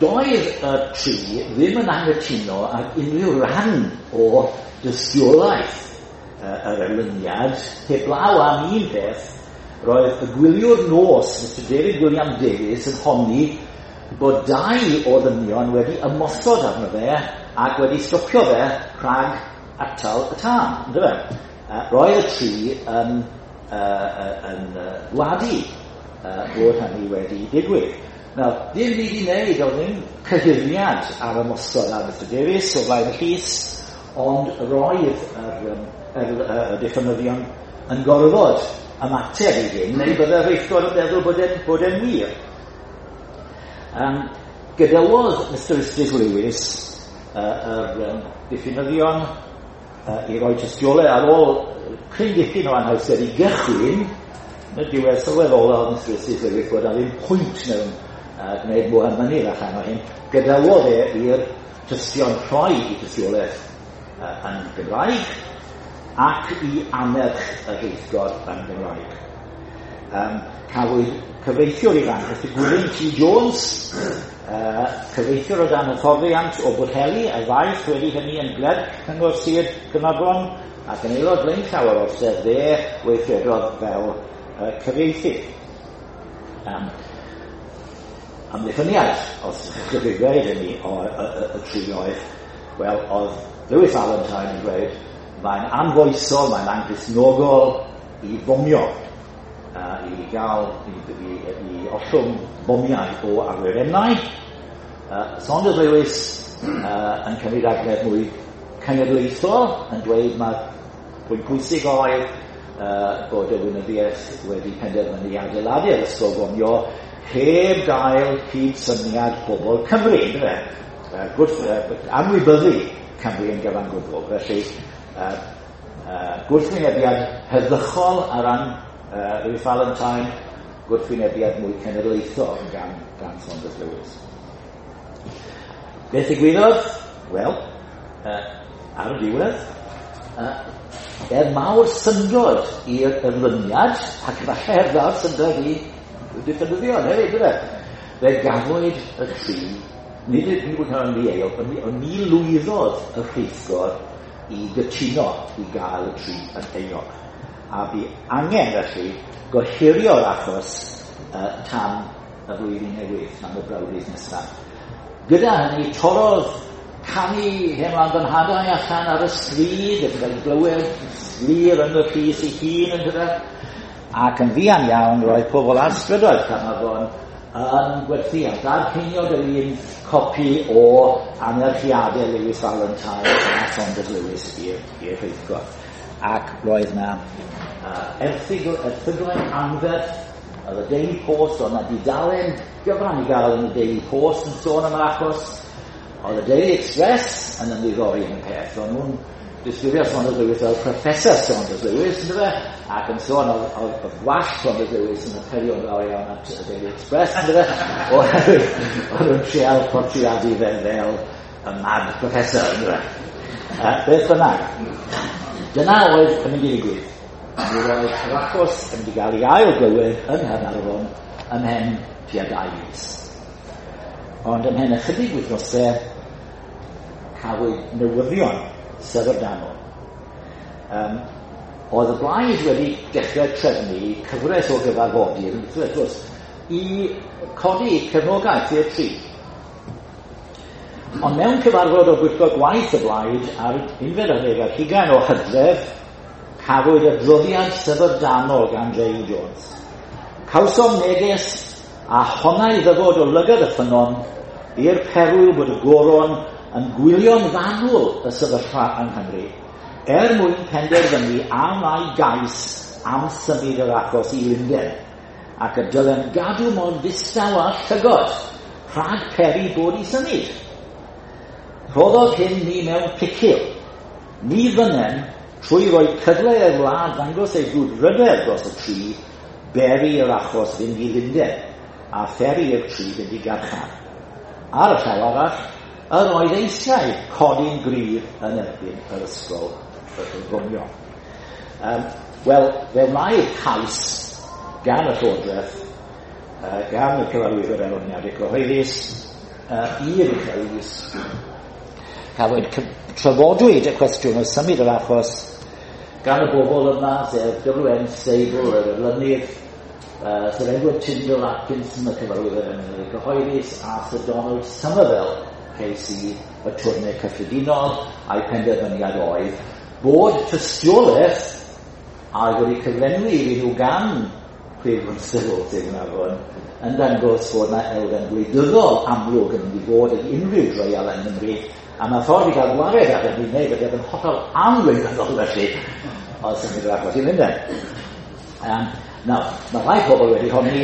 doedd y tri ddim yn anghytuno ag unrhyw ran o dystiolaeth uh, yr erlyniad, heblaw am un peth. Roedd y gwyliwr nos, Mister David William Davies, yn honni bod dau o ddynion wedi ymosod arno fe ac wedi stopio fe rhag atal y tân. Yndyfe? Uh, roedd y tri yn, uh, yn uh, gwadu uh, bod hynny wedi digwydd. Nawr, dim byd i wneud, oedd ddim cyhuddiad ar ymosod ar Mister Davies o flaen y llys, ond roedd yr, yr, yr, y diffynyddion yn gorfod ymateb i hyn, neu bydde'r rheithgor yn meddwl bod e'n bod e'n wir. Um, gadawodd Mister Ystys Lewis uh, yr um, diffynyddion uh, i roi tystiolaeth ar ôl cryn dipyn o anhawster i gychwyn. Yn y diwedd sylweddolodd Mister Ystys Lewis bod na ddim pwynt mewn uh, gwneud mwy am mynydd allan o hyn. Gadawodd e i'r tystion rhoi i tystiolaeth uh, yn Gymraeg ac i annerch y rheithgor yn Gymraeg. Um, cafwyd cyfreithiwr ifanc, Mister Gwilym T. Jones, uh, cyfreithiwr o dan hyfforddiant o Bwllheli, a ddaeth wedi hynny yn glerc Cyngor Sir Caernarfon ac yn aelod blaenllaw o'r orsedd, fe weithredodd fel uh, cyfieithydd. Um, amddiffyniad, os ydych chi'n gweud hynny, o y, y, y tri oedd, wel, oedd Lewis Valentine yn dweud, mae'n anfoesol, mae'n anghristnogol i fomio, uh, i gael, i, i, i ollwng bomiau o awyrennau. Uh, Saunders Lewis uh, yn cymryd agwedd mwy cenedlaethol, yn dweud mae pwynt pwysig oedd uh, bod y weinyddiaeth wedi penderfynu adeiladu'r ysgol fomio heb gael cydsyniad pobl Cymru, yndyfe? Uh, gwrth, uh, anwybyddu Cymru yn gyfan gwbl. Felly, uh, uh, gwrthwynebiad heddychol ar ran uh, Lewis Valentine, gwrthwynebiad mwy cenedlaethol gan, gan Saunders Lewis. Beth ddigwyddodd? Wel, uh, ar y diwedd, uh, er mawr syndod i'r erlyniad, ac falle er mawr syndod i diffynyddion hefyd, yndyfe? Fe gafwyd y tri, nid ydyn nhw'n cael yn ddieuog, ond ni lwyddodd y rheithgor i gytuno i gael y tri yn euog. A bu angen felly gohirio'r achos uh, tan y flwyddyn newydd, tan y brawddydd nesaf. Gyda hynny, torrodd canu Hen Wlad Fy Nhadau allan ar y stryd, ac yn glywed glir yn y llys ei hun, yndyfe? Ac yn fuan iawn roedd pobl ar strydoedd Caernarfon yn gwerthu ar dad ceiniog yr un copi o anerchiadau Lewis Valentine a Saunders Lewis i'r rheithgor. Ac roedd na uh, erthygl, erthyglau anferth, oedd y Daily Post, oedd na dudalen gyfran i gael yn y Daily Post yn sôn am yr achos. Oedd y Daily Express yn ymddiddori yn y peth. O'n nhw'n disgrifio Saunders Lewis fel Professor Saunders Lewis, yndyfe? Ac yn sôn oedd, oedd, oedd gwallt Saunders Lewis yn apelio'n fawr iawn at y Daily Express, yndyfe? Oherwydd oedd nhw'n trial portreadu fe fel y mad professor, yndyfe? Uh, beth bynnag, dyna oedd yn mynd i ddigwydd. Mi roedd yr achos yn mynd i gael ei ail glywed yng Nghaernarfon ymhen tua dau fis. Ond ymhen ychydig wythnosau cafwyd newyddion syfrdanol. Um, oedd y blaid wedi dechrau trefnu cyfres o gyfarfodydd, wrth gwrs, i codi cefnogaeth i'r tri. Ond mewn cyfarfod o bwyllgor gwaith y blaid ar unfed ar ddeg ar hugain o Hydref, cafwyd adroddiad syfrdanol gan J U Jones. Cawsom neges a honnai ddyfod o lygad y ffynnon i'r perwyl bod y goron yn gwylio'n fanwl y sefyllfa yng Nghymru, er mwyn penderfynu a wna'i gais am symud yr achos i Lundain, ac y dylem gadw mor ddistaw â llygod rhag peri bod i symud. Rhoddodd hyn ni mewn picil. Ni fynem, trwy roi cyfle i'r wlad ddangos ei brwdfrydedd dros y tri, beri yr achos fynd i Lundain, a pheri i'r tri fynd i garchar. Ar y llaw arall, yr oedd eisiau codi'n gryf yn erbyn yr ysgol fomio. Um, Wel, fe wnaed cais gan y Llywodraeth, uh, gan y Cyfarwyddwr Erlyniadau Cyhoeddus, uh, i'r Uchel Lys. Cafwyd, trafodwyd y cwestiwn o symud yr achos gan y bobl yma, sef W N Stable, yr erlynydd, uh, Sir Edward Tyndall Atkinson, y Cyfarwyddwr Erlyniadau Cyhoeddus, a Sir Donald Somerville, K C, y Twrne Cyffredinol, a'i penderfyniad oedd bod tystiolaeth a oedd wedi cyflenwi iddyn nhw gan Prif Gwnstabl Sir Gaernarfon yn dangos bod yna elfen gwleidyddol amlwg yn mynd i fod yn unrhyw dreial yng Nghymru, a mae ffordd i gael gwared ar hynny wneud bod yn hollol anwleidyddol felly, oedd symud yr achos i Lundain. Um, nawr, mae rhai pobl wedi honni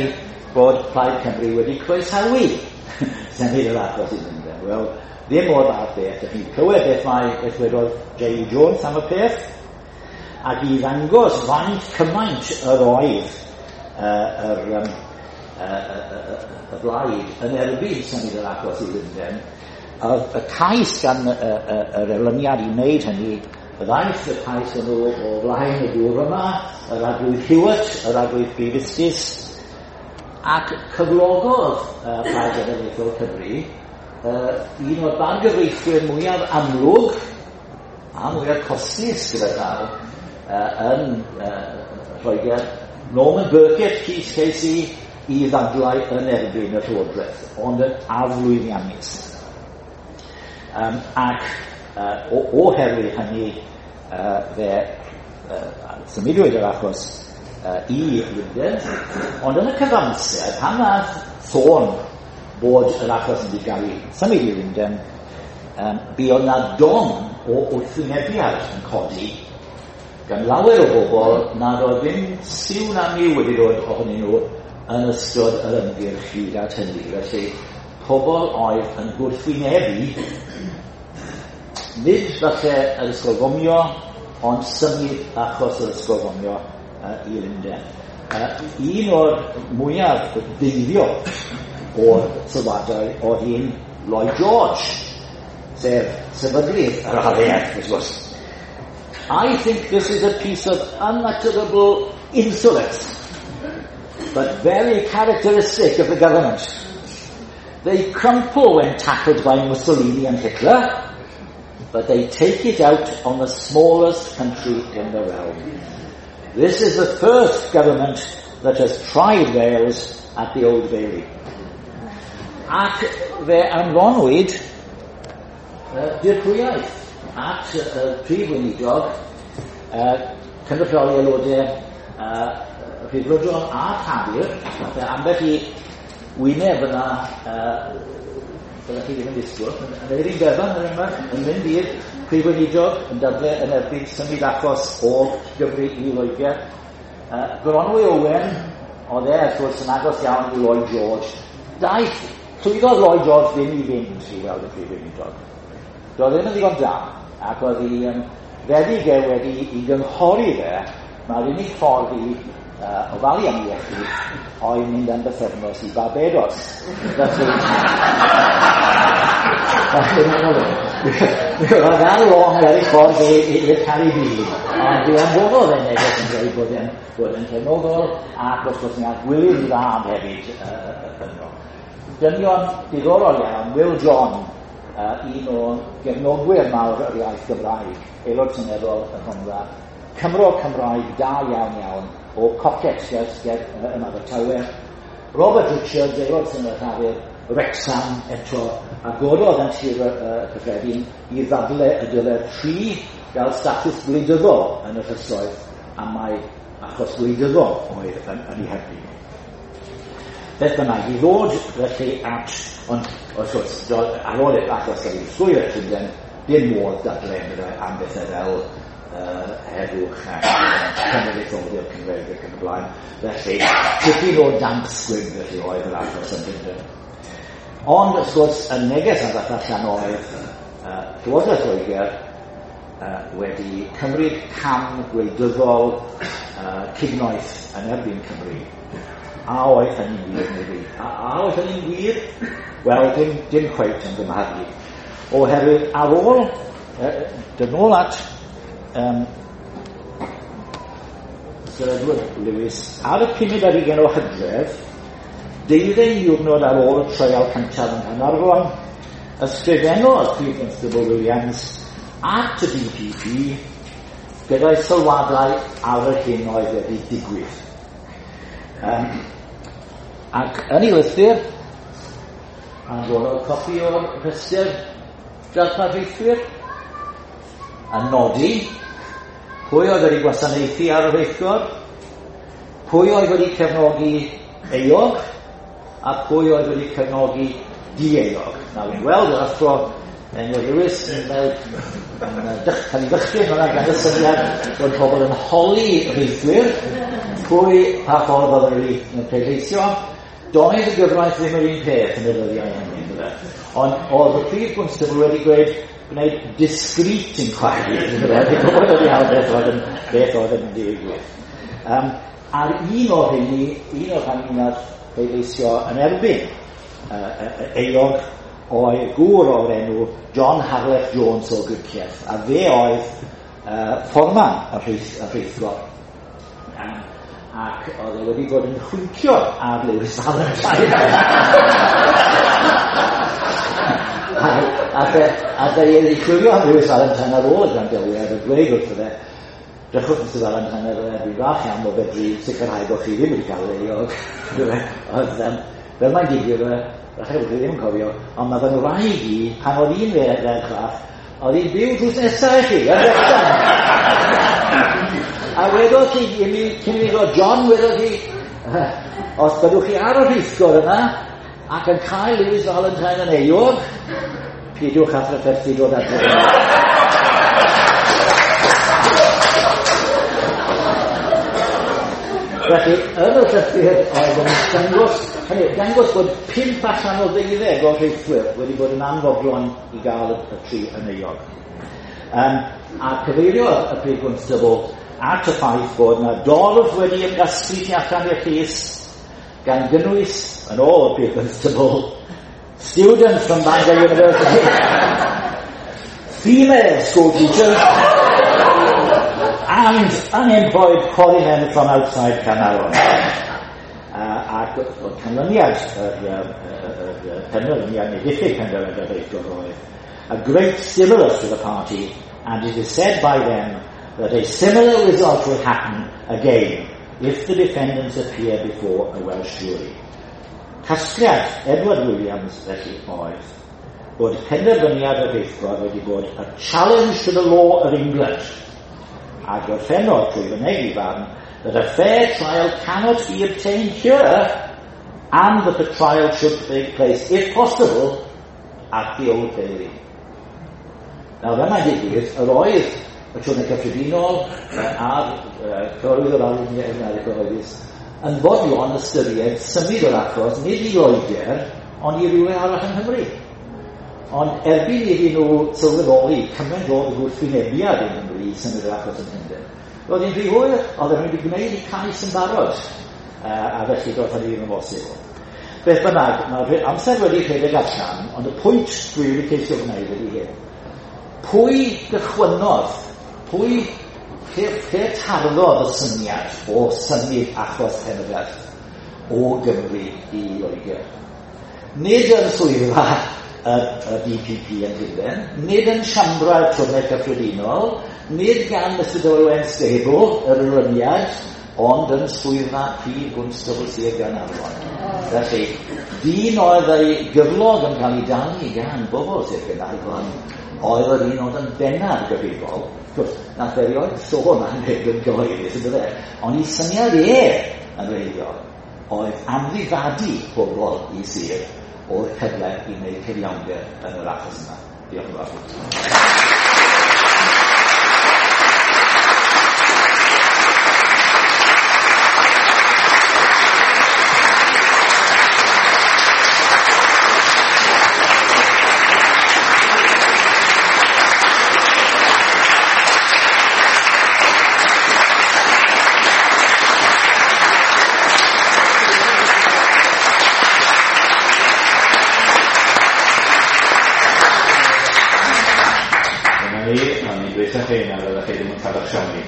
bod Plaid Cymru wedi croesawu symud yr achos i Lundain. Wel, ddim o'r fath beth. Dych chi'n clywed beth mae beth wedodd J U Jones am y peth, ac i ddangos faint cymaint yr oedd uh, yr, um, uh, uh, uh, y blaid yn erbyn symud yr achos i Lundain, y, y cais gan y, y, yr erlyniad i wneud hynny, ddaeth y cais yn o, o flaen y gŵr yma, yr Arglwydd Hewitt, yr Arglwydd Prif Ustus, ac cyflogodd uh, Plaid Genedlaethol Cymru uh, un o'r bargyfreithwyr mwyaf amlwg a mwyaf costus gyda llaw uh, yn uh, Lloegr, Norman Birkett, Keith K C, i ddadlau yn erbyn y Llywodraeth, ond yn aflwyddiannus. Um, ac uh, oherwydd hynny, uh, fe uh, symudwyd yr achos uh, i Lundain, ond yn y cyfamser, pan nath sôn bod yr achos yn wedi cael ei symud i Lundain, um, buodd na don o wrthwynebiad yn codi gan lawer o bobl nad oedd ddim siw na miw wedi dod ohonyn nhw yn ystod yr ymgyrch hyd at hynny. Felly, pobl oedd yn gwrthwynebu, nid falle yr ysgol fomio, ond symud achos yr ysgol fomio uh, i Lundain. Uh, un o'r mwyaf deiliol o'r sylwadau oedd un Lloyd George, sef sefydlydd yr A F, wrth gwrs. I think this is a piece of unutterable insolence, but very characteristic of the government. They crumple when tackled by Mussolini and Hitler, but they take it out on the smallest country in the realm. This is the first government that has tried Wales at the Old Bailey. Ac fe anfonwyd uh, dirprwyaeth at y uh, prif weinidog, uh, cynrychioli aelodau uh, Rhyddfrydol a Llafur, falle ambell i wyneb yna, uh, byddech chi ddim yn disgwyl, yn Eirin Bevan, er enghraifft, yn mynd i'r prif weinidog yn dadle yn erbyn symud achos o Gymru i Loegr. Uh, Goronwy Owen, oedd e, wrth gwrs, yn agos iawn i Lloyd George. Daeth, llwyddodd Lloyd George ddim i fynd i weld y prif weinidog. Doedd ddim yn ddigon da, ac oedd ei um, feddyg e wedi i gynghori fe, mae'r unig ffordd i uh, ofalu am iechyd oedd mynd am bythefnos i Barbados. Felly, oedd ar long ar ei ffordd i'r Caribî, ond fe anfonodd e neges yn dweud bod e'n bod e'n cefnogol, ac wrth gwrs mi aeth Gwilym Fab hefyd uh, yno. Dynion diddorol iawn, Will John, uh, un o gefnogwyr mawr yr iaith Gymraeg, aelod seneddol y Rhondda, Cymro Cymraeg da iawn iawn o Coquet ger, ger yn Abertawe, Robert Richards, aelod seneddol Llafur, Wrexham eto, a gododd yn Sir uh, Cyffredin i ddadle y dylai'r tri gael statws gwleidyddol yn y llysoedd, a mai achos gwleidyddol oedd yn, yn ei herbyn. Beth bynnag, i ddod felly at, ond wrth gwrs, ar ôl i'r achos gael ei ddisgwyl at Llundain, dim modd dadle am bethau fel uh, heddwch ac cenedlaetholdeb Cymreig ac yn y blaen. Felly, tipyn o damp squib felly oedd yr achos yn Llundain. Ond, wrth gwrs, y neges a ddath allan oedd uh, Llywodraeth Loegr uh, wedi cymryd cam gwleidyddol uh, cignoeth yn erbyn Cymru. A oedd hynny'n wir neu ddim? A, a oedd hynny'n wir? Wel, dim, dim cweit yn gymharu. Oherwydd ar ôl, uh, dyn ôl at um, Sir Edward Lewis, ar y pumed ar hugain o Hydref, deuddeg diwrnod ar ôl y treial cyntaf yng Nghaernarfon, ysgrifennodd Prif Constable Williams at y D P P gyda'i sylwadau ar yr hyn oedd wedi digwydd. Um, ac yn ei lythyr, anfonodd copi o'r rhestr darparieithwyr, a nodi pwy oedd wedi gwasanaethu ar y rheithgor, pwy oedd wedi cefnogi euog, a pwy oedd wedi cefnogi dieuog. Nawr, fi'n gweld yr athro Emyr Lewis yn cael ei ddychryn hwnna gan y syniad bod pobl yn holi rheithwyr pwy pa ffordd oedd wedi pleidleisio. Doedd y gyfraith ddim yr un peth yn y dyddiau hynny, yndyfe. Ond oedd y prif gwnstabl wedi gweud gwneud discreet inquiry, yndyfe. Dwi'n gwybod oedd iawn beth oedd yn, beth oedd yn digwydd. Um, ar un o'r rheini, un o'r rheini nath pleidleisio yn erbyn uh, euog oedd gŵr o'r enw John Harlech Jones o Gricieth, a fe oedd uh, fforman y rheithgor. Um, ac oedd e wedi bod yn chwincio ar Lewis Valentine. a, a fe, a fe ei chwilio am Lewis Valentine ar ôl y gwrandawiad a dweud wrtho fe, drychwch Mister Valentine, dwi'n falch iawn o fedru sicrhau bod chi ddim wedi cael ei euog. Oedd, um, fel mae'n digwydd, falle bod chi ddim yn cofio, ond mae fy ngwraig i, pan oedd un ferch fach, oedd hi'n byw drws nesaf i chi, yn Wrexham. A wedodd hi, i mi, cyn i mi ddod, John, wedodd hi, os byddwch chi ar y rheithgor yna, ac yn cael Lewis Valentine yn euog, peidiwch â thrafferthu dod adre. Felly, yn y llythyr oedd yn dangos, hynny, dangos bod pump allan o ddeuddeg o'r rheithwyr wedi bod yn anfodlon i gael y, y tri yn euog. Um, a cyfeiriodd y prif gwnstabl at y ffaith bod yna dorf wedi ymgasglu tu allan i'r llys, gan gynnwys, yn ôl y prif gwnstabl, students from Bangor University, female school teachers, and unemployed quarrymen from outside Caernarfon. Uh, ac oedd canlyniad yr, yr, yr penderfyniad neu diffyg penderfyniad yr rheithgor oedd a great stimulus to the party, and it is said by them that a similar result will happen again if the defendants appear before a Welsh jury. Casgliad Edward Williams felly oedd bod penderfyniad y rheithgor wedi bod a challenge to the law of England, a gorffennodd trwy fynegi farn that a fair trial cannot be obtained here, and that the trial should take place, if possible, at the Old Bailey. Nawr, fel mae'n digwydd, yr oedd y Twrnai Cyffredinol a'r cyfarwyddwr yr Arweinyddiaeth Gyhoeddus yn fodlon ystyried symud yr achos, nid i Loegr, ond i rywle arall yng Nghymru. Ond erbyn iddyn nhw sylweddoli cymaint oedd y gwrthwynebiad yng Nghymru i symud yr achos yn Llundain, roedd hi'n rhy hwyr, oedden nhw wedi gwneud eu cais yn barod, uh, a felly doedd hynny ddim yn bosibl. Beth bynnag, mae'r amser wedi rhedeg allan, ond y pwynt dwi wedi ceisio gwneud ydy hyn. Pwy gychwynnodd, pwy lle, lle tarddodd y syniad o symud achos Pen-y-berth o Gymru i Loegr? Nid yn swyddfa y, y D P P yn Llundain, nid yn siambrau'r Twrnai Cyffredinol, nid gan Mister W N Stable, yr erlyniad, ond yn swyddfa Prif Gwnstabl Sir Gaernarfon. Felly, dyn oedd ei gyflog yn cael ei dalu gan bobl Sir Gaernarfon, oedd yr un oedd yn bennaf gyfrifol. Wrth gwrs, nath erioed sôn am hyn yn gyhoeddus, yn dyfe? Ond ei syniad e yn wreiddiol oedd amddifadu pobl i sir o'r cyfle i wneud cyfiawnder yn yr achos yma. Diolch yn fawr. Am ni, o'n i'n dweud chi na fyddech chi ddim yn cael eich siomi.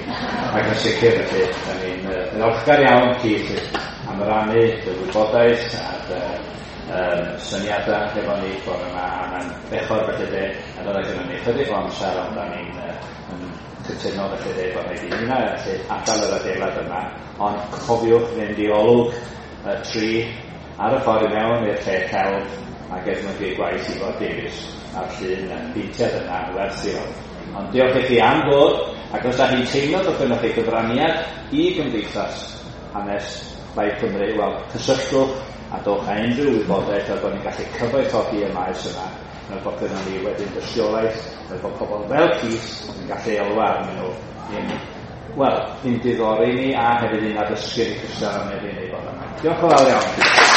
Ac yn sicr felly, da ni'n uh, ddiolchgar iawn Keith am rannu dy wybodaeth a dy um, syniadau hefo ni bore yma, a mae'n bechod felly de, a fydda gynnon ni chydig o amser, ond da ni'n uh, yn cytuno felly de bod rhaid i ni felly adael yr adeilad yma, ond cofiwch fynd i olwg y tri ar y ffordd i mewn i'r lle celf a gefnogi gwaith Ifor Davies a'r llun yn beintiad yna werth i weld. Ond diolch i chi am ddod, ac os da chi'n teimlo bod gynnoch chi gyfraniad i Gymdeithas Hanes Plaid Cymru, wel, cysylltwch a dowch â unrhyw wybodaeth fel bod ni'n gallu cyfoethogi y maes yma, fel bod gynnon ni wedyn dystiolaeth, fel bod pobl fel Keith yn gallu elwa arnyn nhw i'n, wel, i'n diddori ni a hefyd i'n addysgu ni cystal am ei wneud bod yma. Diolch yn fawr iawn.